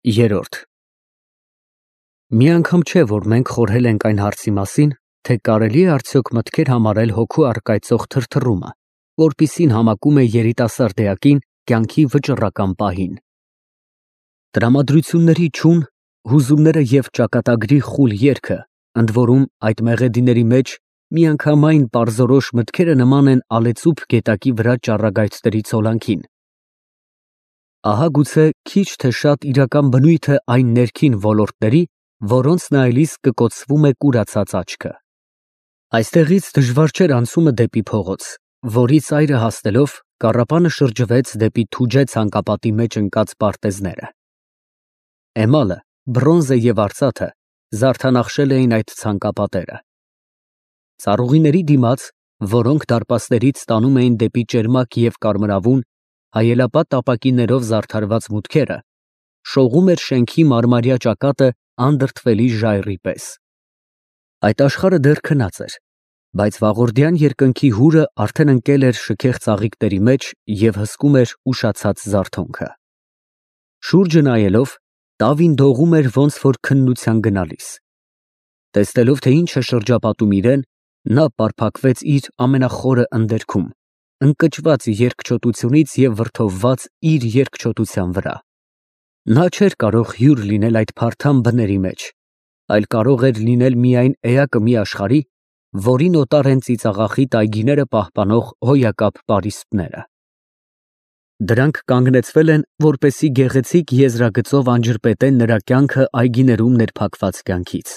Երորդ Մի անգամ չէ, որ մենք խորհել ենք այն հարցի մասին, թե կարելի է արդյոք մտքեր համարել հոգու առկայծող թրթռումը, որպիսին համակում է երիտասարդ էակին կյանքի վճռական պահին։ Տրամադրությունների չուն, հուզումները և ճակատագրի խուլ երգը, ընդ որում այդ մեղեդիների մեջ միանգամայն պարզորոշ մտքերը նման են ալեծուփ գետակի վրա ճառագայթների ցոլանքին։ Ահա գուցե քիչ թե շատ իրական բնույթը այն ներքին ոլորտների, որոնց նայելիս կկոծվում է կուրացած աչքը։ Այստեղից դժվար չէր անցումը դեպի փողոց, որի ծայրը հասնելով կառապանը շրջվեց դեպի թուջե ցանկապատի մեջ ընկած պարտեզները։ Էմալը, բրոնզը և արծաթը զարդանախշել էին այդ ցանկապատերը։ Ծառուղիների դիմաց, որոնք դարպասներից տանում էին դեպի ճերմակ և կարմրավուն, հայելապատ ապակիներով զարդարված մուտքերը, շողում էր շենքի մարմարյա ճակատը անդրդվելի ժայռի պես։ Այդ աշխարհը դեռ քնած էր, բայց վաղորդյան երկնքի հուրը արդեն ընկել էր շքեղ ծաղիկների մեջ և հսկում էր ուշացած զարթոնքը։ Շուրջը նայելով, Տավին դողում էր ոնց որ քննության գնալիս։ Տեսնելով, թե ինչ է շրջապատում իրեն, նա պարփակվեց իր ամենախորը ընդերքում, ընկճված երկչոտությունից և վրդովված իր երկչոտության վրա։ Նա չէր կարող հյուր լինել այդ փարթամ բների մեջ, այլ կարող էր լինել միայն էակը մի աշխարհի, որին օտար են ծիծաղախիտ այգիները պահպանող հոյակապ պարիսպները։ Դրանք կանգնեցվել են, որպեսզի գեղեցիկ եզրագծով անջրպետեն նրա կյանքը այգիներում ներփակված կյանքից։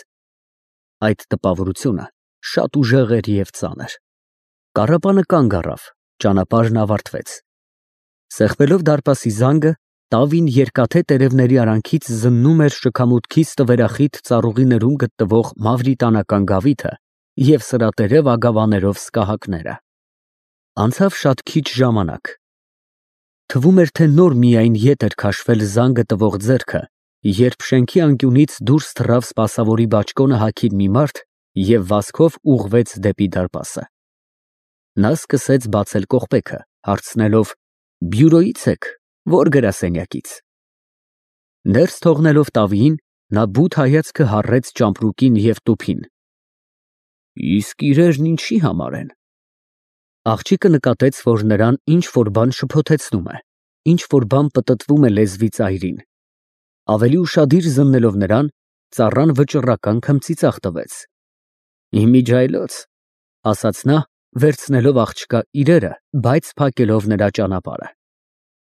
Այդ տպավորությունը շատ ուժեղ էր և ծանր։ Կառապանը կանգ առավ, ճանապարհն ավարտվեց։ Սեղմելով դարպասի զանգը, Տավին երկաթե տերևների արանքից զննում էր շքամուտքի ստվերախիտ ծառուղիներում գտնվող մավրիտանական գավիթը և սրատերև ագավաներով սկահակները։ Անցավ շատ քիչ ժամանակ։ Թվում էր, թե նոր միայն ետ էր քաշվել զանգը տվող ձեռքը, երբ շենքի անկյունից դուրս թռավ սպասավորի բաճկոնը հագիր մի մարդ և վազքով ուղղվեց դեպի դարպասը։ Նա սկսեց բացել կողպեքը, հարցնելով. «Բյուրոյի՞ց եք, ո՞ր գրասենյակից»։ Ներս թողնելով Տավիին, նա բութ հայացքը հառեց ճամպրուկին և տուփին։ «Իսկ իրերն ինչի համար են»։ Աղջիկը նկատեց, որ նրան ինչ֊որ բան շփոթեցնում է, ինչ֊որ բան պտտվում է լեզվի ծայրին։ Ավելի ուշադիր զննելով նրան, ծառան վճռական քմծիծաղ տվեց։ «Իմիջիայլոց», ասաց նա, վերցնելով աղջկա իրերը, բայց փակելով նրա ճանապարհը։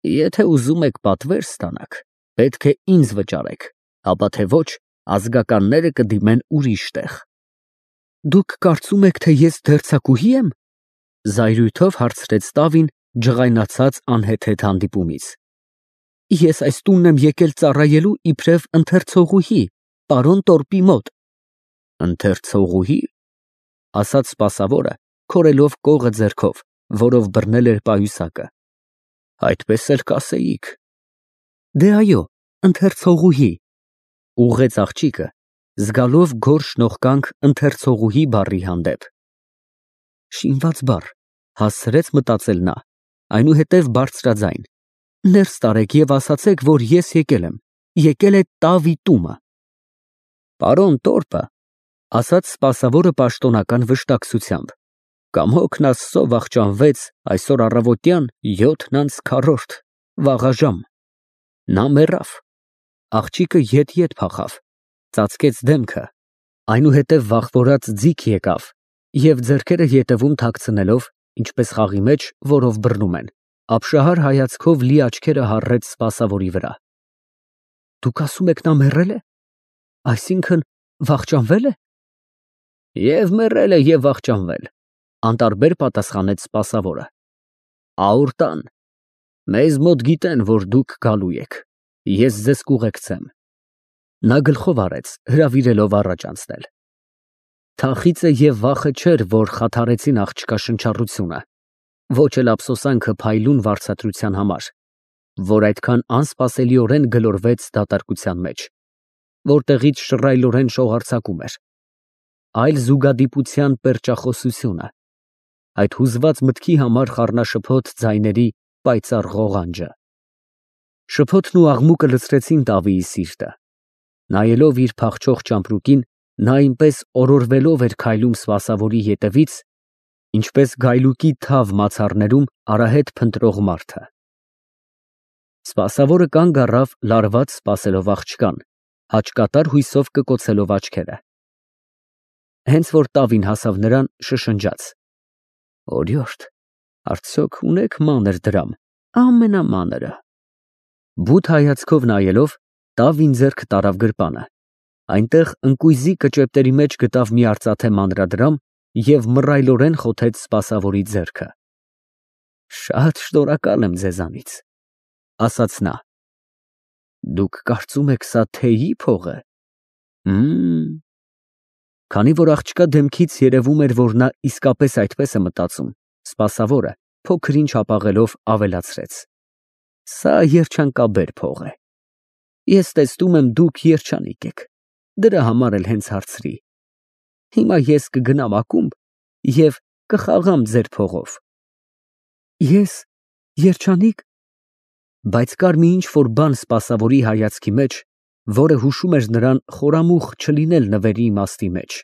«Եթե ուզում եք պատվեր ստանաք, պետք է ինձ վճարեք, ապա թե ոչ, ազգականները կդիմեն ուրիշ տեղ»։ «Դուք կարծում եք, թե ես դերձակուհի եմ»։ Զայրույթով հարցրեց Տավին, ջղայնացած անհեթեթ հանդիպումից։ «Ես այս տունն եմ եկել ծառայելու իբրև ընթերցողուհի, պարոն Տորպի մոտ»։ «Ընթերցողուհի», ասաց սպասավորը, քորելով կողը ձեռքով, որով բռնել էր պայուսակը։ «Այդպես էլ կասեիք»։ «Դե այո, ընթերցողուհի», ուղղեց աղջիկը, զգալով գորշ նողկանք ընթերցողուհի բառի հանդեպ։ Շինված բառ, հասցրեց մտածել նա, այնուհետև բարձրաձայն. «Ներս տարեք և ասացեք, որ ես եկել է Տավի տունը»։ «Պարոն Տորպը», ասաց սպասավորը պաշտոնական վշտակցությամբ, «կամոքն Աստծո վախճանվեց այսօր առավոտյան 4:40, վաղաժամ»։ Նա մեռավ։ Աղջիկը ետ փախավ, ծածկեց դեմքը, այնուհետև վախվորած ձիգ եկավ և ձեռքերը ետևում թաքցնելով, ինչպես խաղի մեջ, որով բռնում են, ապշահար հայացքով լի աչքերը հառեց սպասավորի վրա։ «Դուք ասում եք նա մեռել է, այսինքն վախճանվե՞լ է»։ «Եվ մեռել է, և վախճանվել», անտարբեր պատասխանեց սպասավորը։ «Աուր տան։ Մեզ մոտ գիտեն, որ դուք գալու եք, ես ձեզ կուղեկցեմ»։ Նա գլխով արեց, հրավիրելով առաջ անցնել։ Թախիծը և վախը չէր, որ խաթարեցին աղջկա շնչառությունը, ոչ էլ ափսոսանքը փայլուն վարձատրության համար, որ այդքան անսպասելիորեն գլորվեց դատարկության մեջ, որտեղից շռայլորեն շողարցակում էր, այլ զուգադիպության պերճախոսությունը, այդ հուզված մտքի համար խառնաշփոթ ձայների պայծառ ղողանջը։ Շփոթն ու աղմուկը լցրեցին Դավիի սիրտը։ Նայելով իր փախչող ճամպրուկին, նա այնպես օրորվելով էր քայլում սպասավորի ետևից, ինչպես գայլուկի թավ մացառներում արահետ փնտրող մարդը։ Սպասավորը կանգ առավ լարված սպասելով աղջկան, հաճկատար հույսով կկոցելով աչքերը։ Հենց որ տավին հասավ նրան, շշնջաց. «Օրիորդ, արդյոք ունեք մանր դրամ, ամենամանրը»։ Բութ հայացքով նայելով, տավին ձեռք տարավ գրպանը։ Այնտեղ ընկույզի կճեպտերի մեջ գտավ մի արծաթե մանրադրամ և մռայլորեն խոթեց սպասավորի ձեռքը։ «Շատ շնորհակալ եմ ձեզանից», ասաց նա։ «Դուք կարծում եք սա թե՞յի փող է»։ Քանի որ աղջկա դեմքից երևում էր, որ նա իսկապես այդպես է մտածում, սպասավորը, փոքր-ինչ հապաղելով, ավելացրեց. «Սա երջանկաբեր փող է։ Ես տեսնում եմ, դուք երջանիկ եք, դրա համար էլ հենց հարցրի։ Հիմա ես կգնամ ակումբ և կխաղամ ձեր փողով»։ Ես երջանի՞կ։ Բայց կար մի ինչ֊որ բան սպասավորի հայացքի մեջ, որը հուշում էր նրան խորամուխ չլինել նվերի իմաստի մեջ։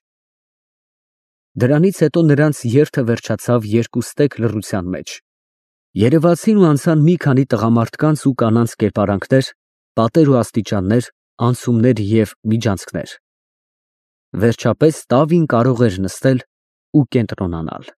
Դրանից հետո նրանց երթը վերջացավ երկուստեք լռության մեջ։ Երևացին ու անցան մի քանի տղամարդկանց ու կանանց կերպարանքներ, պատեր ու աստիճաններ, անցումներ և միջանցքներ։ Վերջապես տավին կարող էր նստել ու կենտրոնանալ։